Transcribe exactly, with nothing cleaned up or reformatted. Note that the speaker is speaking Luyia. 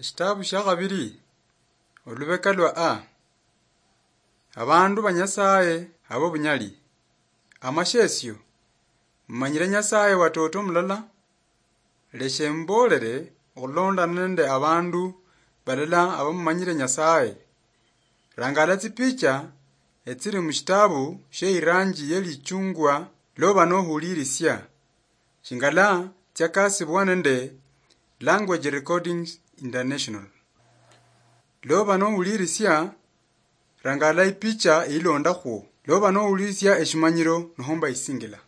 Eshitabu shia khabiri, olubeka lwa A. Abandu ba Nyasaye abo bunyali. Amashesio, mumanyire Nyasaye watoto mulala? Leshe mbolere okhulondana nende abandu balala abamumanyire Nyasaye. Rangala tsipicha etsiri mushitabu shie iranji ye lichungwa loba nohulirisia. Shingala tsiakasibwa nende Language Recordings International. Loba nohulirisia, rangala ipicha ilondakhwo. Loba nohulirisia eshimanyiro nohomba isingila.